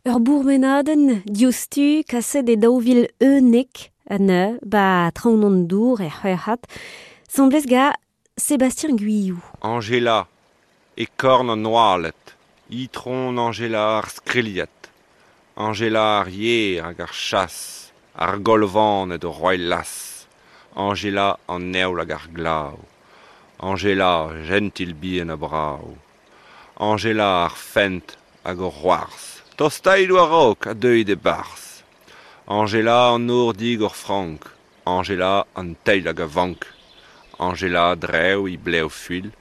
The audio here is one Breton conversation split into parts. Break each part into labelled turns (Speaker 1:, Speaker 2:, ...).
Speaker 1: Ur bourmenadenn diouzhtu kaset e 2011 an ba traoñ an dour er C'houerc'had, 'sambles ga Sébastien Guillou.
Speaker 2: Angela, e korn an oaled, itron Angela ar skrilhed, Angela ar yer hag ar chas, ar golvaned o roiñ las, Angela an heol hag ar glav, Angela jentil bihan ha brav, Angela ar fent hag o c'hoarzh, tostait war-raok ha deuit e-barzh, Angela an nor digor frank, Angela an teil hag a vank, Angela drev he blev fuilh,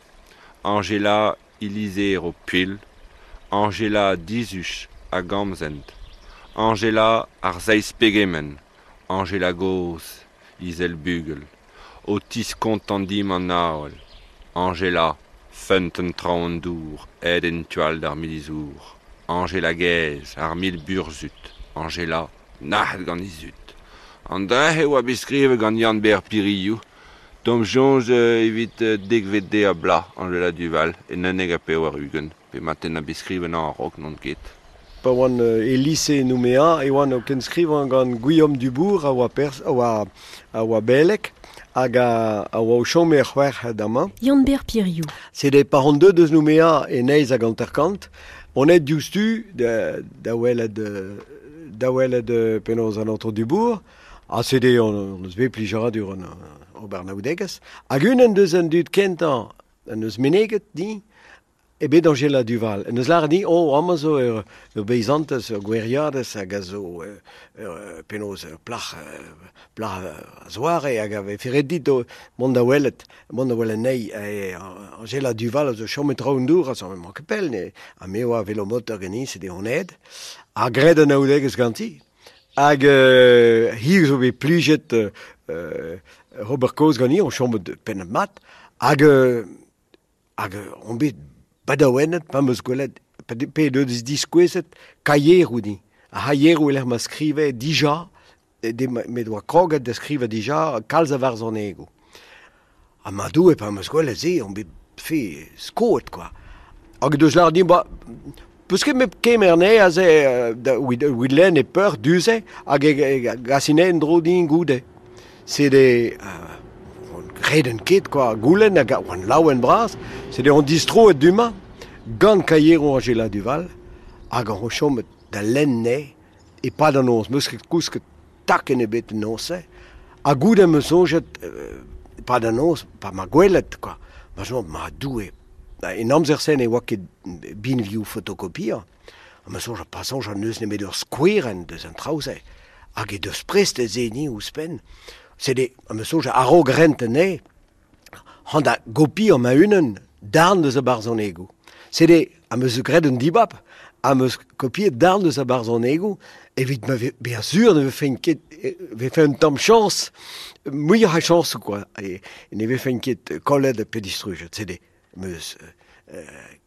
Speaker 2: Angela he lizheroù puilh, Angela dizuj hag amsent, Angela ar seizh pegement, Angela gozh he sell bugel, o tiskontañ dimp an avel, Angela feunteun traoñ an dour aet en tu all d'ar milizour, Angela gaezh ar mil burzhud, Angela nac'het gant he zud. An dra-se oa bet skrivet gant Yann-Ber Piriou, d'am soñj evit dekvet deiz-ha-bloaz Angela Duval en 91, pe marteze bet skrivet a-raok n'on ket.
Speaker 3: Pa oan e lise Nouméa e oan o kenskrivañ gant Guillaume Dubourg a oa perzh a oa a oa beleg hag a a oa o chom er C'houerc'had amañ.
Speaker 1: Yann-Ber Piriou.
Speaker 3: Sede pa on deuet eus Nouméa e neizh hag hanter-kant, on aet diouzhtu da da welet da welet penaos an aotrou Dubourg ha sede hon eus bet plijadur an ober anaoudegezh. Hag unan deus an dud kentañ en deus meneget din eo bet Angela Duval. En deus lâret din, oh, amañ zo ur, ur beizantez, ur goueriadez hag a zo ur, penaos ur plac'h, plac'h a-zoare hag a vefe ret dit mont da welet, mont da welet anezhi. Angela Duval a zo chomet traoñ-dour, a zo emañ ket pell, ha me a oa velomotor ganin, sede on aet. Ha graet anaoudegezh ganti. Hag hi zo bet plijet ober kaoz ganin, on chomet pennad mat. Hag hag on bet badaouennet pa 'm eus gwelet pe deus diskouezet kaieroù din. Ar c'haieroù e-lec'h ma skrive dija, met oa kroget da skrivañ dija kalz a varzhonegoù. Ha ma Doue, pa 'm eus gwelet se, on bet fe skoet kwa. Hag deus lâret din, ba, peus ket met kemer anezhe aze da evit lenn e peur du-se hag e gasin en-dro din goude. Sede on greden ket kwa, goulenn hag oan laouen bras. Sede on distroet du-mañ gant kaieroù Angela Duval hag on chomet da lenn anezhe e-pad an noz. 'Meus ket kousket takenn ebet en noz-se. Ha goude 'm eus soñjet e-pad an noz, pa 'ma gwelet kwa, ma soñj ma Doue, en amzer-se ne oa ket binvioù fotokopiañ. Ha ma soñj pa soñjan n'eus nemet ur skouerenn deus an traoù-se hag he deus prest da seniñ ouzhpenn. Sede am eus soñj a-raok rent anezhe, c'hoant da gopiañ ma-unan darn deus ar barzhonegoù. Sede am eus graet un dibab, am eus kopiet darn deus ar barzhonegoù evit ma bezañ sur ne vefen ket vefe un tamm chañs, muioc'h a chañsoù quoi, e ne vefen ket kollet pe distrujet. Sede am eus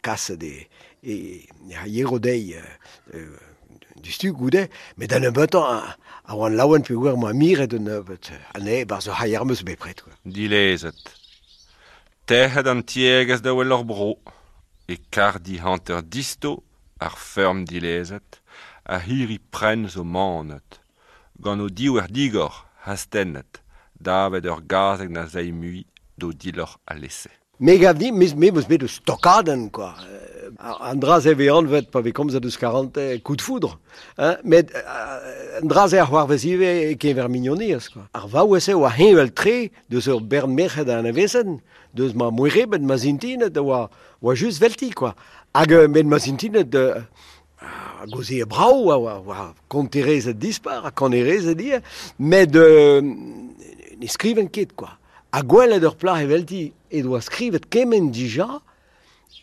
Speaker 3: kaset e e c'haiero dezhi diouzhtu goude, met da nebeutañ a oan laouen peogwir 'moa miret un nebeud anezhe 'barzh ur c'haier 'm eus bepred quoi.
Speaker 2: Dilezet. Tec'het an tiegezh da wel hor bro. E karrdi hanter disto, ar feurm dilezet, ar c'hirri prenn zo manet. Gant o divhar digor astennet davet ur gazeg na zay mui d'o diloc'h alese.
Speaker 3: Me gav din, me 'meus bet eus stokadenn kwa. An dra-se vez anvet pa vez komzet eus karantez coup de foudre. Hein? Met an dra-se a c'hoarvez ivez e-keñver mignoniezh kwa. Ar vaouez-se oa heñvel-tre deus ur bern merc'hed a anavezen, deus ma moerebed, ma zintined a oa, oa just 'velti kwa. Hag met ma zintined a gaozeer brav, a oa, oa konterezed dispar ha kanerezed ivez, met ne skriven ket kwa. Ha gwelet ur plac'h evelti he doa skrivet kement dija,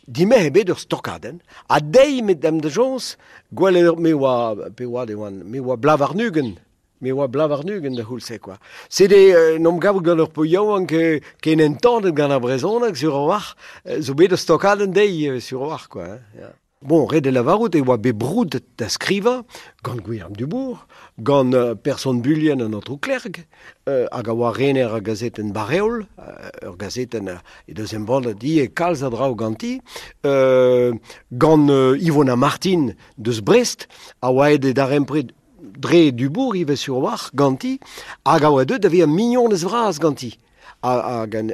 Speaker 3: dimec'h eo bet ur stokadenn. Ha dezhi met da'm da soñj, gwelet ur me oa pe oad e oan, me oa bloaz warn-ugent. Me oa bloaz warn-ugent da c'houlz-se kwa. Sede en em gavout gant ur paotr yaouank ken entanet gant ar brezhoneg sur a-walc'h, zo bet ur stokadenn dezhi sur a-walc'h quoi. Ya. Bon, ret e lavarout e oa bet broudet da skrivañ gant Gwilherm Dubourg, gant person Bulien an aotrou Klerg, hag a oa rener ar gazetenn Barreol, ur gazetenn he deus embannet ivez kalz a draoù ganti, gant Ivona Martin deus Brest, a oa aet e darempred dre Dubourg ivez sur-walc'h ganti, hag a oa deuet da vezañ mignonez vras ganti. Hag an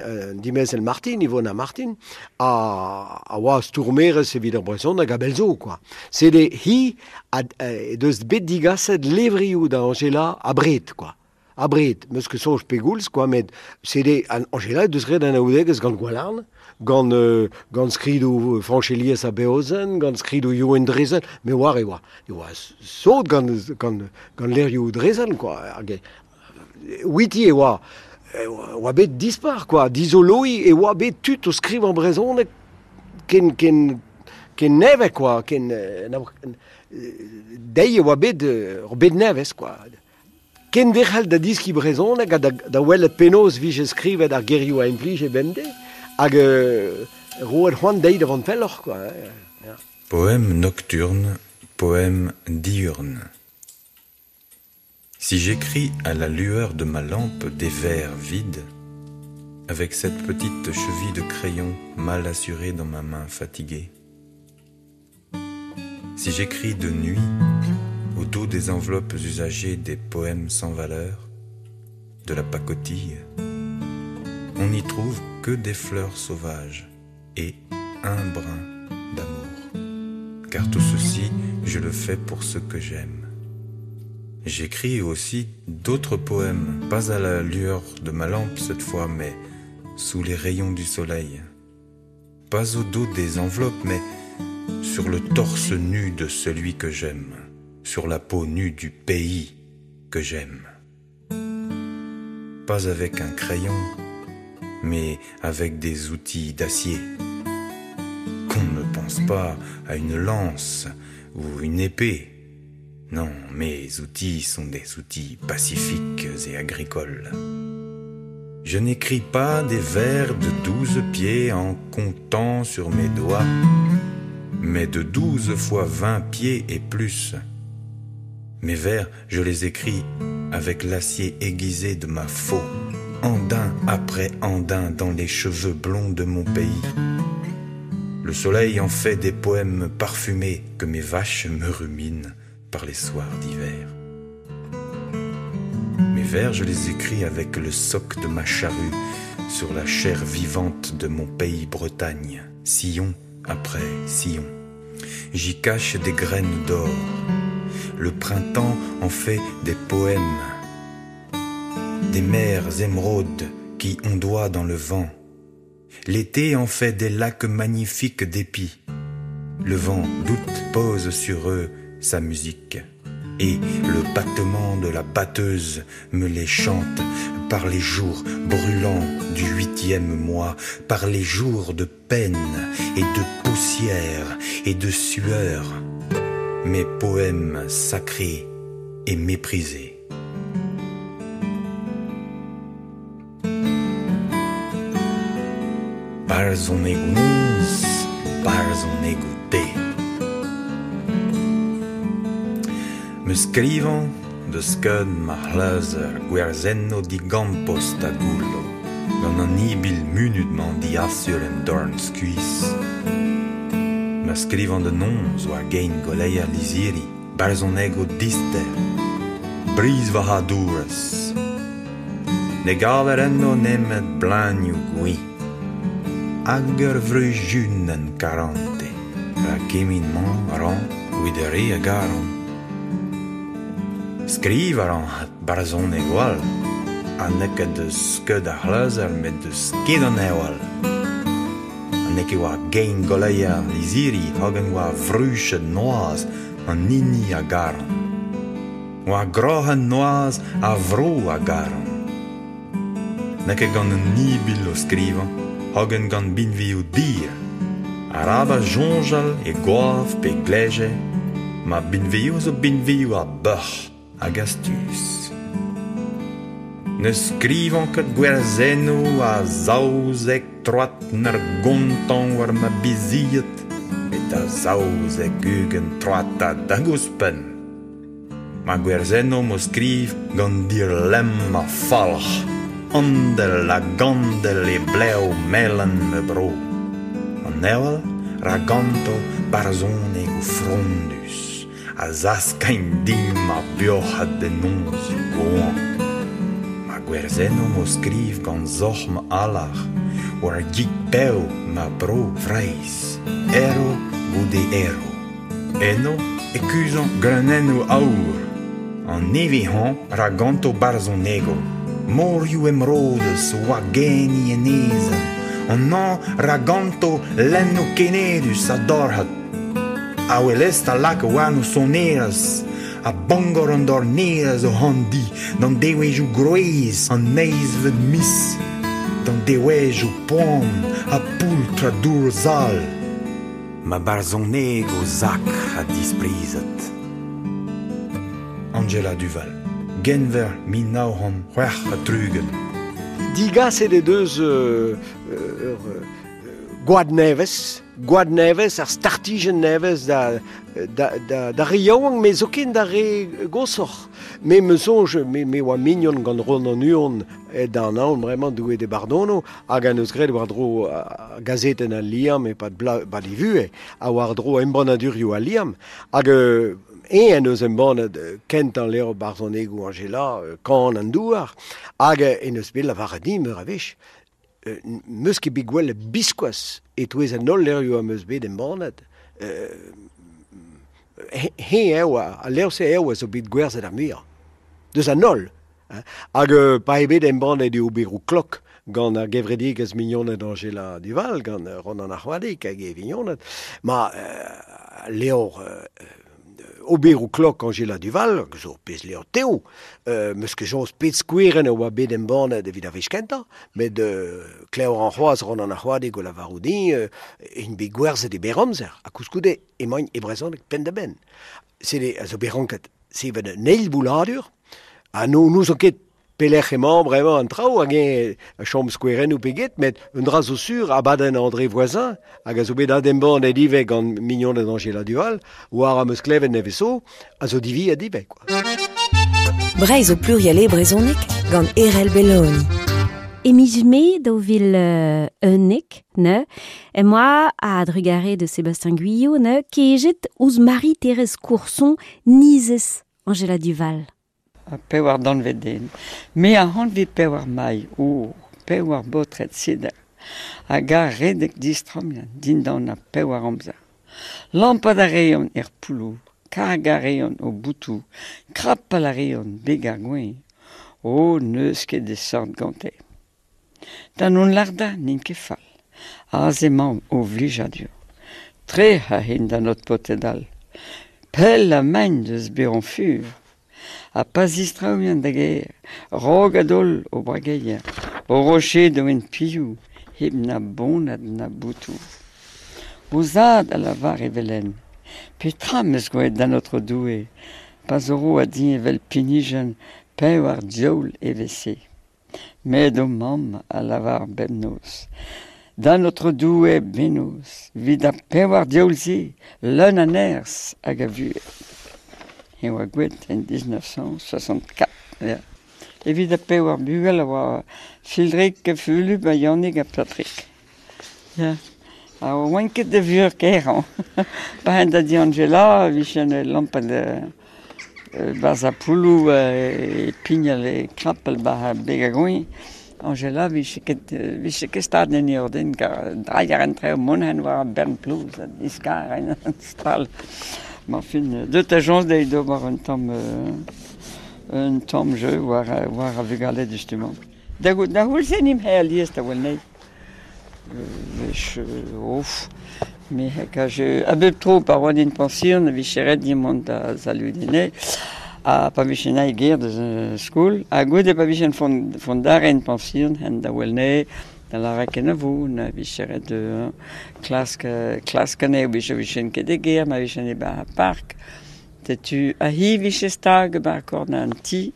Speaker 3: dimezell Martin, Ivona Martin, a oa stourmerez evit ar brezhoneg a-bell zo, quoi. Sede hi he deus bet digaset levrioù da Anjela abred, quoi. Abred, 'meus ket soñj pegoulz, quoi, met sede Anjela he deus graet anaoudegezh gant Gwalarn, gant gant skridoù Fañch Elias Abeozen, gant skridoù Youenn Drezen, me oar e oa e oa sot gant gant gant levrioù Drezen, quoi. Hag outi e oa oa bet dispar, quoi. Dizoloiñ e oa bet tud o skrivañ brezhoneg ken ken ken nevez, quoi, ken dezhi e oa bet ur bed nevez, quoi. Kenderc'hel da deskiñ brezhoneg ha da welet penaos 'vije skrivet ar gerioù a implije bemdez hag roet c'hoant dezhi da vont pelloc'h, quoi. Ya.
Speaker 4: Poème nocturne, poème diurne. Si j'écris à la lueur de ma lampe des vers vides, avec cette petite cheville de crayon mal assurée dans ma main fatiguée, si j'écris de nuit, au dos des enveloppes usagées des poèmes sans valeur, de la pacotille, on n'y trouve que des fleurs sauvages et un brin d'amour. Car tout ceci, je le fais pour ce que j'aime. J'écris aussi d'autres poèmes, pas à la lueur de ma lampe cette fois, mais sous les rayons du soleil. Pas au dos des enveloppes, mais sur le torse nu de celui que j'aime, sur la peau nue du pays que j'aime. Pas avec un crayon, mais avec des outils d'acier. Qu'on ne pense pas à une lance ou une épée. Non, mes outils sont des outils pacifiques et agricoles. Je n'écris pas des vers de 12 pieds en comptant sur mes doigts, mais de 12 fois 20 pieds et plus. Mes vers, je les écris avec l'acier aiguisé de ma faux, andin après andin dans les cheveux blonds de mon pays. Le soleil en fait des poèmes parfumés que mes vaches me ruminent par les soirs d'hiver. Mes vers, je les écris avec le soc de ma charrue sur la chair vivante de mon pays Bretagne, sillon après sillon. J'y cache des graines d'or. Le printemps en fait des poèmes, des mers émeraudes qui ondoient dans le vent. L'été en fait des lacs magnifiques d'épis. Le vent d'août pose sur eux sa musique et le battement de la batteuse me les chante par les jours brûlants du huitième mois, par les jours de peine et de poussière et de sueur, mes poèmes sacrés et méprisés. Barzhonegoù noz, barzhonegoù deiz. Me skrivañ deus skeud ma c'hleuzer gwerzennoù digampost ha goullo, gant an ibil munut-mañ diasur em dorn skuizh. Ma skrivañ da noz war gein goleier lizhiri, barzhonegoù dister, brizhvarc'hadourezh. Ne gaver enno nemet bleunioù gwin hag ur vruzunenn karante, rak kement-mañ a ran evit ar re a garan. Skriv a ran barzhonegoù all, ha n'eo ket eus skeud ar c'hleuzer met eus sked an heol. Ha n'eo ket war gein goleier lizhiri hogen war vruched noazh an hini a garan. War groc'hen noazh ar vro a garan. N'eo ket gant un ibil o skrivañ, hogen gant binvioù dir. Arabat soñjal e goaf pe gleje, ma binvioù zo binvioù a beuc'h hag astuz. Ne skrivan ket gwerzennoù a zaouzek troad 'n ur gontañ war ma bizied, met da 72 troatad hag ouzhpenn. Ma gwerzennoù m'o skriv gant dir lemm ha falc'h, andel hag andel e blev melen ma bro. An heol ra ganto barzhonegoù frondus a zaskagn din ma buoc'had en nozioù goañv. Ma gwerzennoù m'o skriv gant zoc'h ma alar war gig bev ma bro Vreizh, erv goude erv. Eno e kuzhañ greunennoù aour. An nevez-hañv ra ganto barzhonegoù. Morioù emrodus o wagenniñ enezenn. An hañv ra ganto lennoù kenedus a dorc'had. Awel-est a lak warno sonerezh ha Bangor an dornerezh o c'handi d'an devezhioù gwrez an eizhvet miz, d'an devezhioù poan ha poultr ha dour sall. Ma barzhonegoù sakr ha disprizet. Anjela Duval, Genver 1966.
Speaker 3: Digaset he deus ur gwad nevez, gwad nevez, ar startijenn nevez da, da, da, da re yaouank, met zoken da re goshoc'h. Me 'm eus soñj, me, me oa mignon gant Ronan Huon da anaon bremañ Doue d'e bardono, hag en deus graet war-dro gazetenn Al Liamm e-pad bla, e vuhez, ha war-dro embannadurioù Al Liamm. Hag eñ en deus embannet kentañ levr barzhonegoù Anjela, Kan an douar, hag en deus bet lavaret din meur a wech 'm eus ket bet gwelet biskoazh e-touez an holl levrioù am eus bet embannet. Heñ eo, al levr-se eo a zo bet gwerzhet ar muiañ. Deus an holl. Hag pa eo bet embannet e oberoù klok gant ar gevredigezh Mignoned Anjela Duval, gant Ronan ar C'hoadig hag e vignoned, ma levr oberoù klok Anjela Duval, zo pezh levr tev, 'meus ket soñj pet skouerenn a oa bet embannet evit ar wech kentañ, met klev a ran c'hoazh Ronan ar C'hoadig o lavarout din int bet gwerzhet e berr amzer, ha koulskoude emaint e brezhoneg penn-da-benn. Sede a zo bet ranket sevel un eil bouladur, ha n'ouzon ket pelec'h emañ bremañ an traoù hag eñ a chom skouerennoù pe get, met un dra zo sur, abadenn André Voisin, hag a zo bet adembannet ivez gant mignoned Anjela Duval, war am eus klevet nevez zo, a zo diviet ivez. Quoi.
Speaker 1: Breizh o pluriel e brezhoneg gant Erell Belloni. E miz Mae 2011, ne, em boa a-drugarez de Sébastien Guyot, ne, kejet ouzh Marie-Thérèse Courson, nizez Anjela Duval.
Speaker 5: Ha pewar danvez den. Me a anvez pewar mailh, o, pewar baotred seder, hag a redek distrammiañ dindan ar pewar amzer. Lampat a reont er poulloù, kargañ a reont o boutoù, krapal a reont beg ar gweñv. O, n'eus ket e seurt gante. Da non lardañ n'int ket fall. Aze emañ o vlijadur. Trec'h a int d'an holl paotred all. Pell emaint eus bezañ fur. Ha pa zistraouian da gêr, raok a-daol o brageier, o rochedoù en pilhoù, hep na boned na boutoù. O zad a lavar evel-henn, Petra 'm eus graet d'an Aotrou Doue, pa zo roet din evel pinijenn pewar diaoul evel-se? Met ho mamm a lavar bemnoz, D'an Aotrou Doue bennozh, 'vit ar pewar diaoul-se, leun a nerzh hag a vuhez. E oa gwelet en 1964. Ya. Evit ar pewar bugel a oa Fildrig, Fulup ha Yannig ha Patrick. Ya. Ha oan ket da vur kaerañ. Pa en da di Anjela e vije lampat 'barzh ar poulloù e pignal e krapal 'ba beg ar goueñv. Anjela 'vije ket 'vije ket stad en he orden kar drailh a raent traoù mont en war ar bern plouz ha diskar en stal. Ma fin deut a soñj dezhi d'ober un tamm un tamm jeu war war ar vugale justement. Da da c'houlz-se nimp alies da wel anezhi. Wech ouf me hag a bep tro pa oan en pension e vije ret din mont da saludiñ anezhe ha pa vije naet ger deus skol ha goude pa vijen fondare en pension hen da wel anezhe da lâret kenavo na vije ret klask klask anezhe vije vijen ket e gêr ma vijen e-barzh ar park setu ha hi vije stag 'ba korn an ti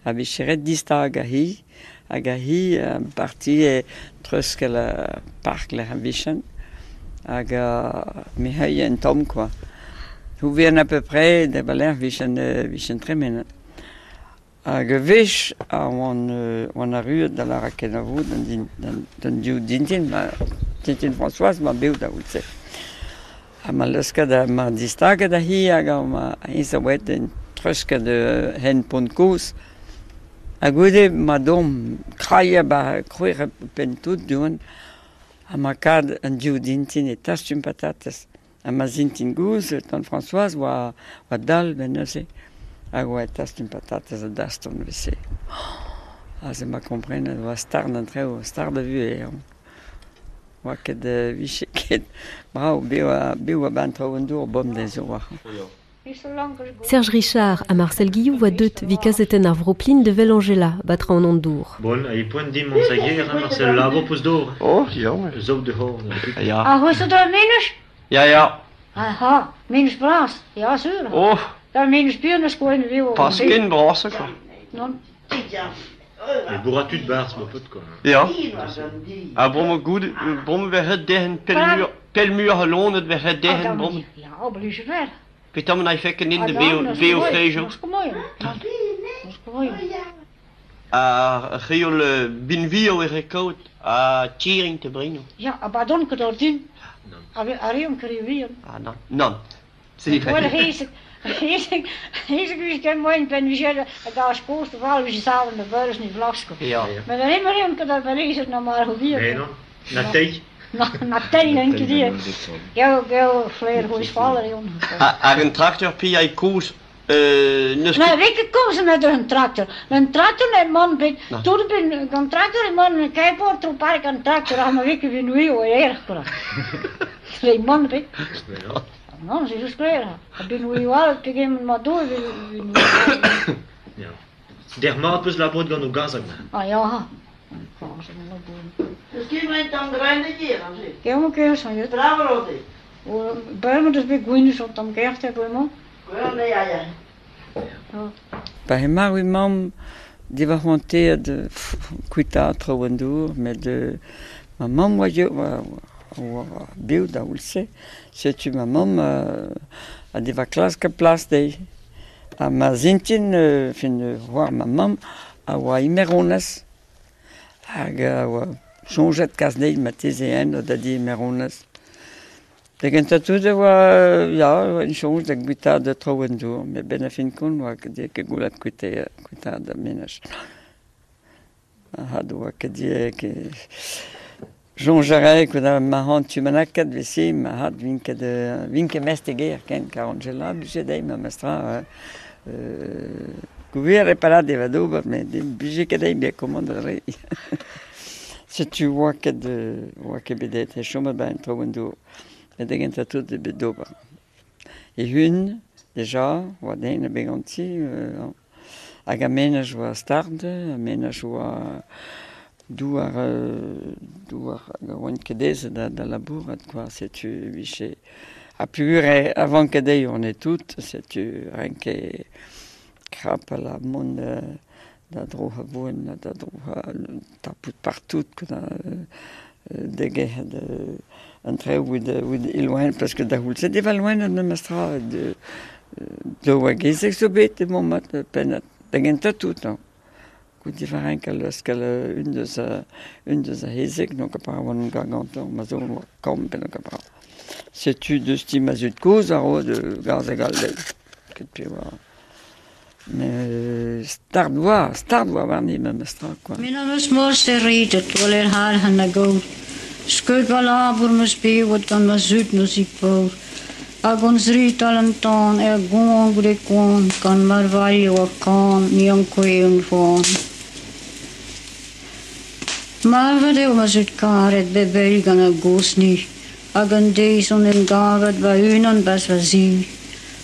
Speaker 5: a vije ret distagañ hi hag hi partie treuzkel ar park lec'h a vijen. Hag me heuilh un tamm quoi. Houvian à peu près da baler vichen tremenet. Hag wech a oan arruet da la rakenavo d'an div dintin, ma tintin Françoise ma bev da outse. Ha ma leusket ma distaget a hi hag a ma hiz a oet en treusket hen pont koz. Ha goude ma dom kraia ba krouer pen tout duan ha ma kad an div dintin e tastum patates. Ha ma zintin gouz, tant Françoise oa dal ben neuze. Hag oa e tastum patates a daston vese. Ha se ma komprenet oa stard an treo, stard a vu eo. Oa ket viche ket brao, beo a ban tro an dour bom dezo oa.
Speaker 1: Serge Richard ha Marcel Guillou voa deut vi kazetenn ar Vroplin de vel Angela, batra an andour.
Speaker 6: Bon, a poent din mont sager, Marcel Labo peus d'or.
Speaker 7: Oh, ja.
Speaker 6: Zo de hor.
Speaker 7: Ja.
Speaker 8: Ah, hoe dat minus?
Speaker 7: Ja, ja.
Speaker 8: Aha, minus bras. Ja, sur.
Speaker 7: Oh.
Speaker 8: Da minus bier na skoen viu.
Speaker 7: Pas ken bras, quoi.
Speaker 8: Non.
Speaker 6: E bourra tud bars, ma pot, quoi.
Speaker 7: Ja. Ah, bon, ma goed, bon, we het dehen pelmuur geloon, we het dehen bom.
Speaker 8: Ja, oblige ver.
Speaker 7: Peter men fekken in de BO-vlees. A reol binvio e rekout a tiering te brengen.
Speaker 8: Ja, maar dan kan dat doen. A reon kriwion.
Speaker 7: Ah, non. Non.
Speaker 8: Wel hees ik ken mooi ben wie zeggen daar is kost wel wie samen de beurs niet vlasko.
Speaker 7: Ja.
Speaker 8: Maar dan immer reon kan dat wel eens nog maar hoe wie.
Speaker 6: Nee, non. Na thee.
Speaker 8: Na thee denk je die. Gel flair hoe is valler jong.
Speaker 7: Ar een tractor pia i koos.
Speaker 8: Nee, ik kom ze met een tractor. Een tractor en man ben toen ben een tractor en man een kijkboord troep park een tractor aan maar ik ben nu al erg kra. Nee man ben. Non, ze is klaar. Ik ben nu al tegen maar door.
Speaker 6: Ja. Der maat peus labot gant o gazag.
Speaker 8: Ah ja.
Speaker 9: Dus kun je dan greine hier,
Speaker 8: Ja, maar kun je zo.
Speaker 9: Bravo, Rodi.
Speaker 8: Bij dus bij Gwynnes op dan kerst heb ik
Speaker 9: Ja, ja.
Speaker 5: Pa hema ui mamm di va c'hoanteet kuitaat tro an dour, met ma mamm oa oa bev da oulse. Setu ma mamm a deva klask a plas dezhi. Ha ma zintin, fin c'hoar ma mamm, a oa imeronez. Hag a oa soñjet kas dezhi ma teze en da di imeronez. Da gentañ tout e oa, ya, en soñj da gwitaat da tro an dour, met ben a fin kont oa ket goulat kuitaat da menaj. Ha oa ket di ket... Soñj a rae ket ma c'hant tu manakat vese, ma had vin ket mest e ger ken, kar Angela bije dezhi ma mestra. Gouver reparat e va d'ober, met bije ket dezhi bet komand a re. Setu oa ket bet e chomet ba en tro an dour. Met da gentañ tout e bet d'ober. E hun, deja, oa den a beganti, hag a menaj oa stard, a menaj oa douar hag a oan ket ez da labourat, quoi, setu viche. Ha pugur avant ket dezhi on e tout, setu renke krap a la mont da droha voen, da droha tapout partout, da degehet an treo oud iloen, parce que da houlse deva loen an mestra de oa gezek zo bet e momat pennad. Da gentañ tout, non. Gout diva renk al leuskel un deus a hezek, donc apparemment gargantan, ma zo oa kamp en donc apparemment. Setu deus ti ma zud koz a ro de gaz hag al deiz. Ket pe oa. Mais stard oa warni ma mestra, quoi.
Speaker 8: Min am eus mos e redet, wel er haar han a goud. Skeut wel labour meus bewet gant ma zud meus ik paour. Hag ons riet al an tan, er gon goude koan, gant marvailho a kan, ni an kweun foan. Marvet eo ma zud karet bebel gant a gosni, hag an deiz on en gavet va unan bas va zi.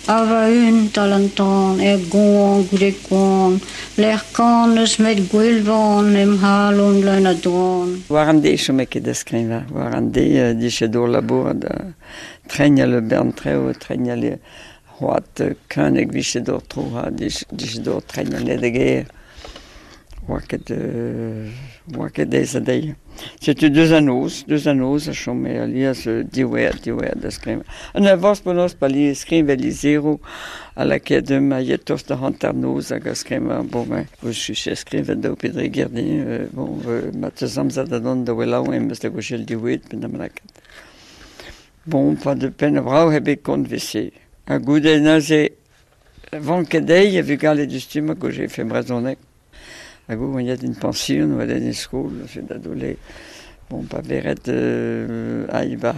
Speaker 8: A va un tal an tan, er gon goude koan, l'er kan eus met gwelvan em halon leun a doan.
Speaker 5: War an deiz chome ket da skrivañ, war an deiz diche d'or labour da tregnal le bern treo, tregnal le c'hoat kunek viche d'or tro, ha diche d'or tregnal le de ger. Oa ket, oa ket aes a-dezhi. Setu deus an noz, deus an noz a chome alies diwezhat, diwezhat da skrivañ. An avañs penaos pa lies skrivañ lizheroù a lakae deomp a ya tost da hanternoz hag a skrivañ, bon ben, vo skrivet daou pe dri ger din, bon, ma teus amzer da dont da wellañ em eus da gojel diwezhat pe da ma lakaat. Bon, pa de penn brav eo bet kont 'vese. Ha goude neuze, vanket dezhi a vugale diouzhtu ma gojefe brezhoneg. Hag o oan en pension, oa en skol, da dole, bon, pa veret aï ba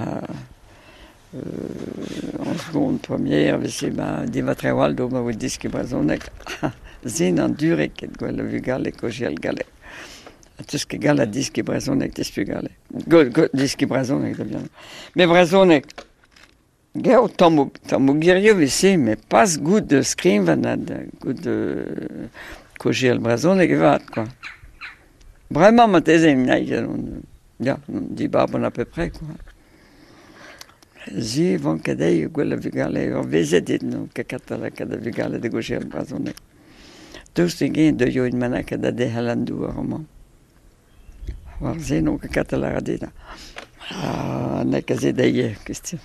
Speaker 5: en seconde, première, vese ba diva trewal do ma voe diski brezhoneg. Zin an dure ket gwell a vugale kojel gale. Ha teus ket gall a diski brezhoneg tes bugale. Go, go, diski brezhoneg da bien. Me brezhoneg, geo tammoù, tammoù girio vese, me pas gout de skrivañ na gout de kojel brezhoneg evat, quoi. Bremañ marteze naig, ya, dibab à peu près, quoi. Zi van ket dezhi gwell a vugale, ur vezet eo no ket kat lakaat da vugale da gojel brezhoneg. Daoust hag-eñ deuio int bennak da derc'hel an douar amañ. War se n'on ket kat lâret dit. Ha n'eo ket se dezhi, question.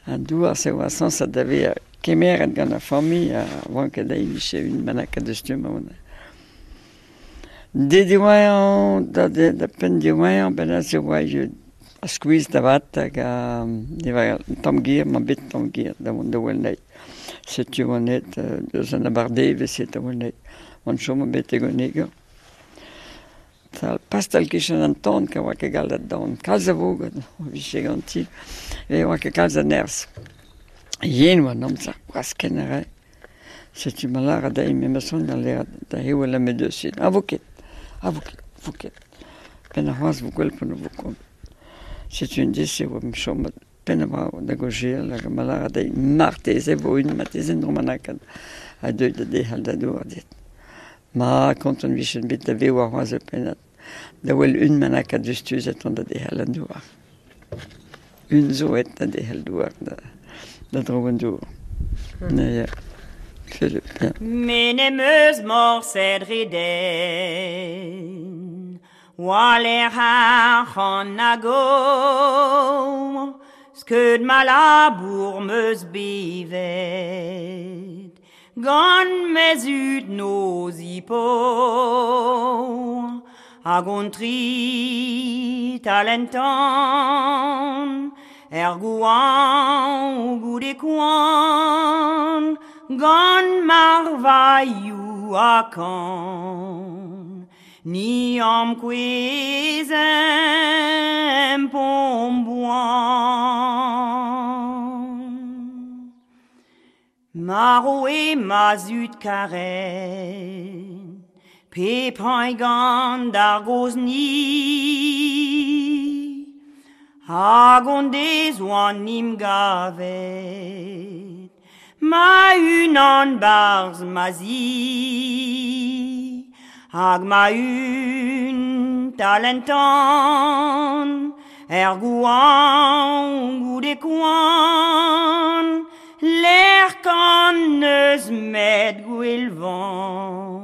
Speaker 5: An douar se oa sañset da vezañ kemeret gant ar familh ha oan ket dezhi vije un bennak da stumm amañ. De diwezhañ, da, da penn diwezhañ, ben se oa a skuizh da vat hag a ne tamm ger, ma bet tamm ger da vont da wel anezhi. Setu oan aet deus an abardaevezh da wel anezhi. Oan chom betek un eger. Pastal kichen an tan ka oa ket gallet dan. Kalz a voged o vije ganti. E oa ket kalz a nerzh. Yen oa an amzer braskenn a rae. Setu ma lâret dezhi me ma son da lâret da hewel am deus. A vo ket, a vo ket, vo ket. Penn ar c'hoazh vo gwell pan vo kont. Setu un deiz e oa chomet penn a da gojel hag ma lâret dezhi marteze vo un marteze en dro ma a deuet da dehal da douar dit. Ma kontant vijen bet da vev ar c'hoazh ur pennad. Da wel un bennak a deus et da dehal an douar. Un zo et da dehal douar da, da dro an douar. Na ya. Philippe, ya.
Speaker 10: Me n'em eus morset reden Waler ar c'han hag o Skeud ma labour meus bevet Gant me zud noz ipo Hag on tri talentan Er gouan goude koan Gant marvailhou a kan Ni am kouezem pom boan. Maro e ma zud karet Pe pañ gant ar gozni Hag on dez oan nim gavet Ma unan barz ma zi Hag ma un talentan Er gouan goude koan L'air kan neus met gwelvan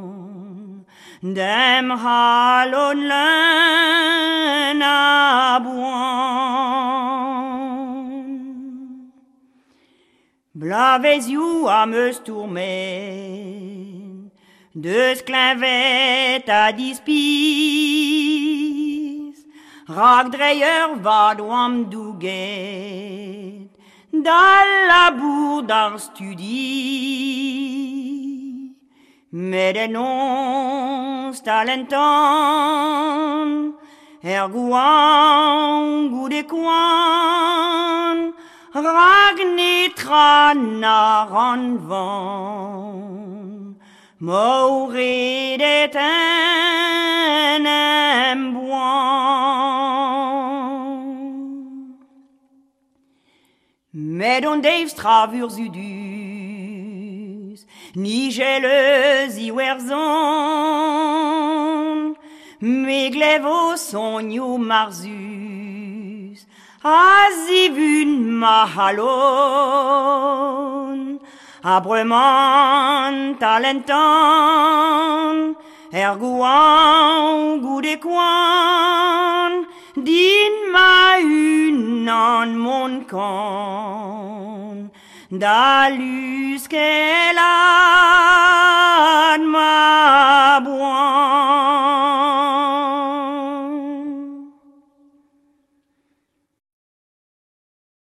Speaker 10: Dem halon leun a boan. Blavezioù am eus tourmen Deus kleñvet a dispis Rak dre ur vad oam douget D'al labour d'ar studi Met en on talentan Er gouan goude koan Rag netra na ran van Mauredet en em boan. Met on deus travur zudus Nigel eus iwerzhon Me glevo sonioù marzus A zivun ma halon A bremañ talentan Er goañv goude koan Din ma-unan mont kan Da luskellat ma boan.